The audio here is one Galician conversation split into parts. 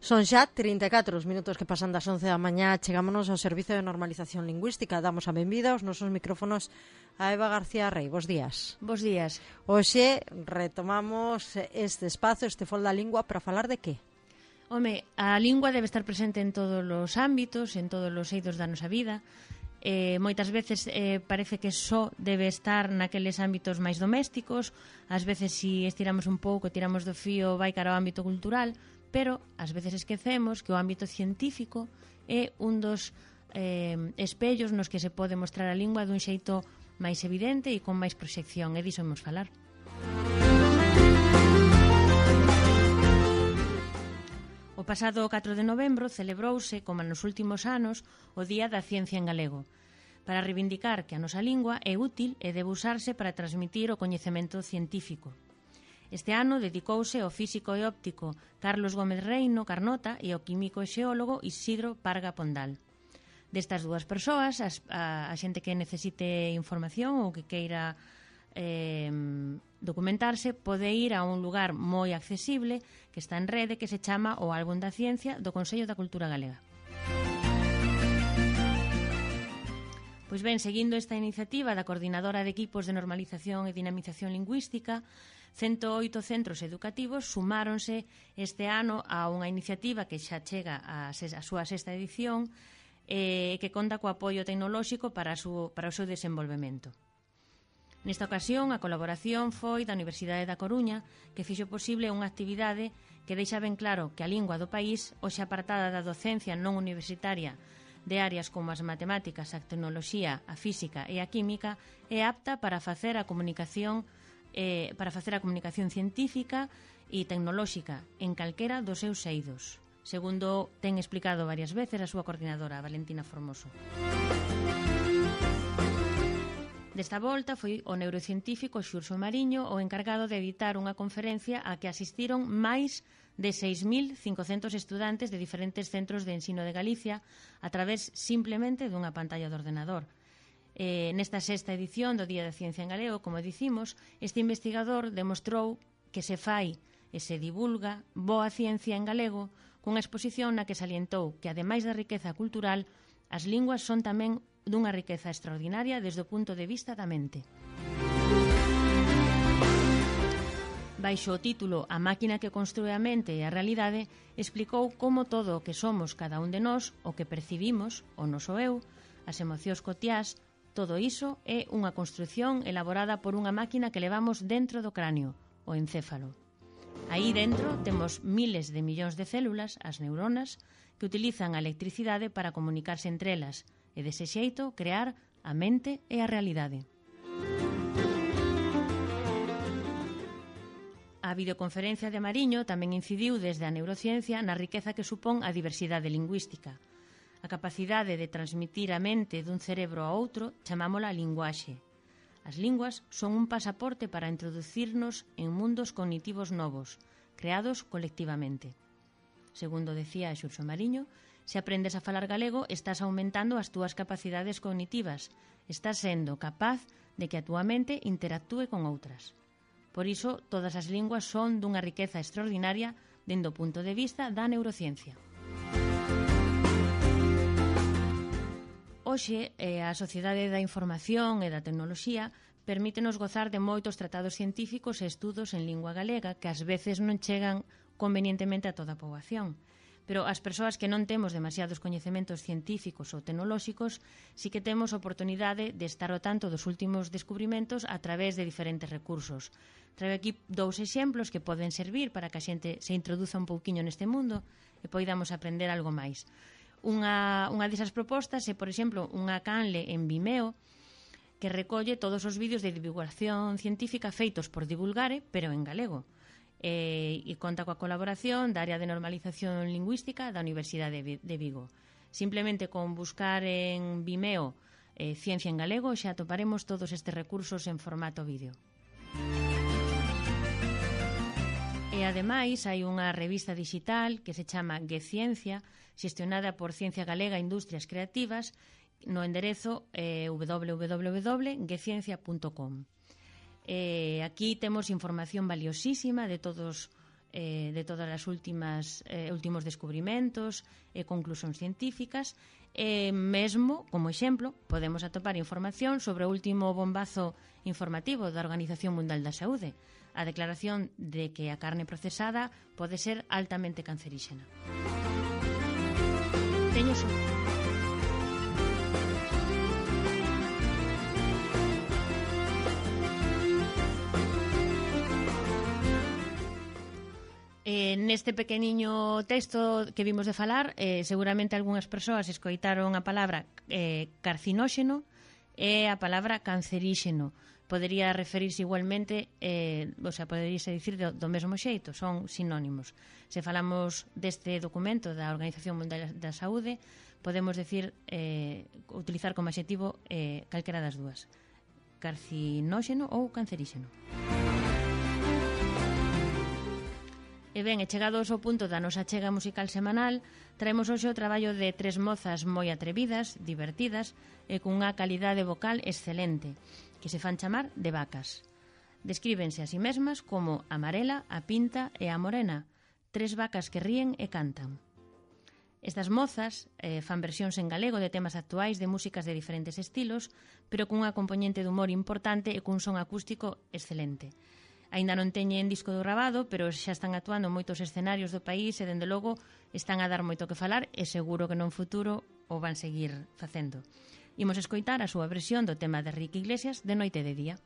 Son xa 34 os minutos que pasan das 11 da mañá. Chegámonos ao Servizo de Normalización Lingüística. Damos a benvida aos nosos micrófonos a Eva García Rey. Bos días. Bos días. Hoxe retomamos este espazo, este Fol da Lingua, para falar de que? Home, a lingua debe estar presente en todos os ámbitos, en todos os eidos da nosa vida. Moitas veces parece que só debe estar naqueles ámbitos máis domésticos. Ás veces, se estiramos un pouco, tiramos do fío, vai cara ao ámbito cultural, pero ás veces esquecemos que o ámbito científico é un dos espellos nos que se pode mostrar a lingua dun xeito máis evidente e con máis proxección, e diso imos falar. O pasado 4 de novembro celebrouse, como nos últimos anos, o Día da Ciencia en Galego, para reivindicar que a nosa lingua é útil e debe usarse para transmitir o coñecemento científico. Este ano dedicouse ao físico e óptico Carlos Gómez Reino Carnota e ao químico e xeólogo Isidro Parga Pondal. Destas dúas persoas, a xente que necesite información ou que queira documentarse pode ir a un lugar moi accesible que está en rede, que se chama o Álbum da Ciencia do Consello da Cultura Galega. Pois ben, seguindo esta iniciativa da Coordinadora de Equipos de Normalización e Dinamización Lingüística, 108 centros educativos sumáronse este ano a unha iniciativa que xa chega a súa sexta edición e que conta co apoio tecnolóxico para o seu desenvolvemento. Nesta ocasión, a colaboración foi da Universidade da Coruña, que fixo posible unha actividade que deixa ben claro que a lingua do país, hoxe apartada da docencia non universitaria de áreas como as matemáticas, a tecnoloxía, a física e a química, é apta para facer a comunicación científica e tecnolóxica en calquera dos seus eidos, segundo ten explicado varias veces a súa coordinadora, Valentina Formoso. Desta volta foi o neurocientífico Xurxo Mariño o encargado de editar unha conferencia a que asistiron máis de 6.500 estudantes de diferentes centros de ensino de Galicia a través simplemente dunha pantalla de ordenador. Nesta sexta edición do Día da Ciencia en Galego, como dicimos, este investigador demostrou que se fai e se divulga boa ciencia en galego cunha exposición na que salientou que, ademais da riqueza cultural, as linguas son tamén dunha riqueza extraordinaria desde o punto de vista da mente. Baixo o título A máquina que construe a mente e a realidade, explicou como todo o que somos cada un de nós, o que percibimos, o noso eu, as emocións cotiás, todo iso é unha construción elaborada por unha máquina que levamos dentro do cráneo, o encéfalo. Aí dentro temos miles de millóns de células, as neuronas, que utilizan a electricidade para comunicarse entre elas e, dese xeito, crear a mente e a realidade. A videoconferencia de Mariño tamén incidiu desde a neurociencia na riqueza que supón a diversidade lingüística. A capacidade de transmitir a mente dun cerebro a outro chamámola linguaxe. As linguas son un pasaporte para introducirnos en mundos cognitivos novos, creados colectivamente. Segundo decía Xurxo Mariño, se aprendes a falar galego, estás aumentando as túas capacidades cognitivas, estás sendo capaz de que a túa mente interactúe con outras. Por iso, todas as linguas son dunha riqueza extraordinaria dende o punto de vista da neurociencia. Hoxe, a Sociedade da Información e da Tecnoloxía permítenos gozar de moitos tratados científicos e estudos en lingua galega que ás veces non chegan convenientemente a toda a poboación. Pero as persoas que non temos demasiados coñecementos científicos ou tecnolóxicos sí que temos oportunidade de estar ao tanto dos últimos descubrimentos a través de diferentes recursos. Traio aquí dous exemplos que poden servir para que a xente se introduza un pouquiño neste mundo e poidamos aprender algo máis. Unha desas propostas é, por exemplo, unha canle en Vimeo que recolle todos os vídeos de divulgación científica feitos por Divulgare, pero en galego. E conta coa colaboración da Área de Normalización Lingüística da Universidade de Vigo. Simplemente con buscar en Vimeo Ciencia en Galego xa atoparemos todos estes recursos en formato vídeo. E ademais hai unha revista digital que se chama GeCiencia, xestionada por Ciencia Galega Industrias Creativas, no enderezo www.geciencia.com. Aquí temos información valiosísima de todos de todas as últimos descubrimentos e conclusións científicas. Mesmo, como exemplo, podemos atopar información sobre o último bombazo informativo da Organización Mundial da Saúde, a declaración de que a carne procesada pode ser altamente canceríxena. Teño neste pequeniño texto que vimos de falar, seguramente algunhas persoas escoitaron a palabra carcinóxeno e a palabra canceríxeno. Podería referirse igualmente, poderíase dicir do mesmo xeito, son sinónimos. Se falamos deste documento da Organización Mundial da Saúde, podemos utilizar como adxetivo calquera das dúas, carcinóxeno ou canceríxeno. E ben, chegados ao punto da nosa achega musical semanal, traemos hoxe o traballo de tres mozas moi atrevidas, divertidas e cunha calidade vocal excelente, que se fan chamar de vacas. Descríbense a si mesmas como a amarela, a pinta e a morena, tres vacas que ríen e cantan. Estas mozas fan versións en galego de temas actuais de músicas de diferentes estilos, pero cunha componente de humor importante e cun son acústico excelente. Aínda non teñen disco grabado, pero xa están actuando en moitos escenarios do país e, dende logo, están a dar moito que falar e seguro que non futuro o van seguir facendo. Imos escoitar a súa versión do tema de Enrique Iglesias, De noite e de día.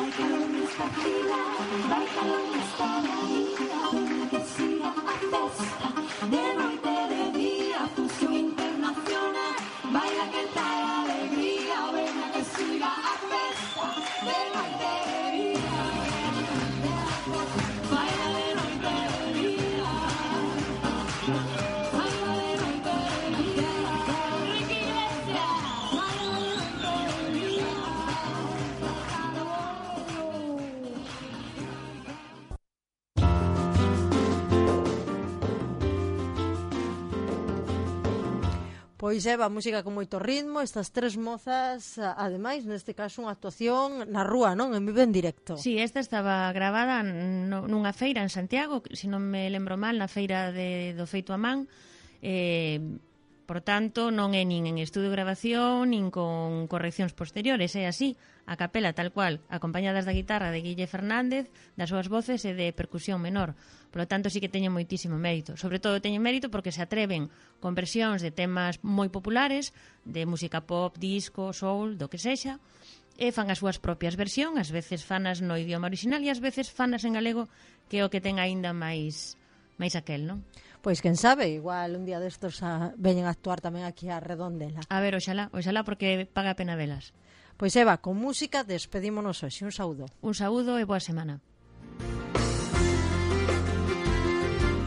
Vai calor nesta fila, vai calor nesta avenida, que siga a festa, de noite e de día, fusión internacional, baila que trae alegría, venga que siga a festa, de noite e de día, baila de noite e de día, baila de noite e de día, Enrique Iglesias, baila de noite e de día. Pois Eva, música con moito ritmo, estas tres mozas, ademais, neste caso, unha actuación na rúa, non? En vivo en directo. Sí, esta estaba gravada nunha feira en Santiago, se non me lembro mal, na feira do feito a man. Por tanto, non é nin en estudio de grabación, nin con correccións posteriores, é así, a capela tal cual, acompañadas da guitarra de Guille Fernández, das súas voces e de percusión menor. Por lo tanto, sí que teñen moitísimo mérito. Sobre todo teñen mérito porque se atreven con versións de temas moi populares, de música pop, disco, soul, do que sexa, e fan as súas propias versións, ás veces fanas no idioma original e ás veces fanas en galego, que é o que ten aínda máis aquel, non? Pois quen sabe, igual un día destos veñen a actuar tamén aquí a Redondela. A ver, oxalá porque paga a pena velas. Pois Eva, con música despedímonos hoxe. Un saúdo. Un saúdo e boa semana.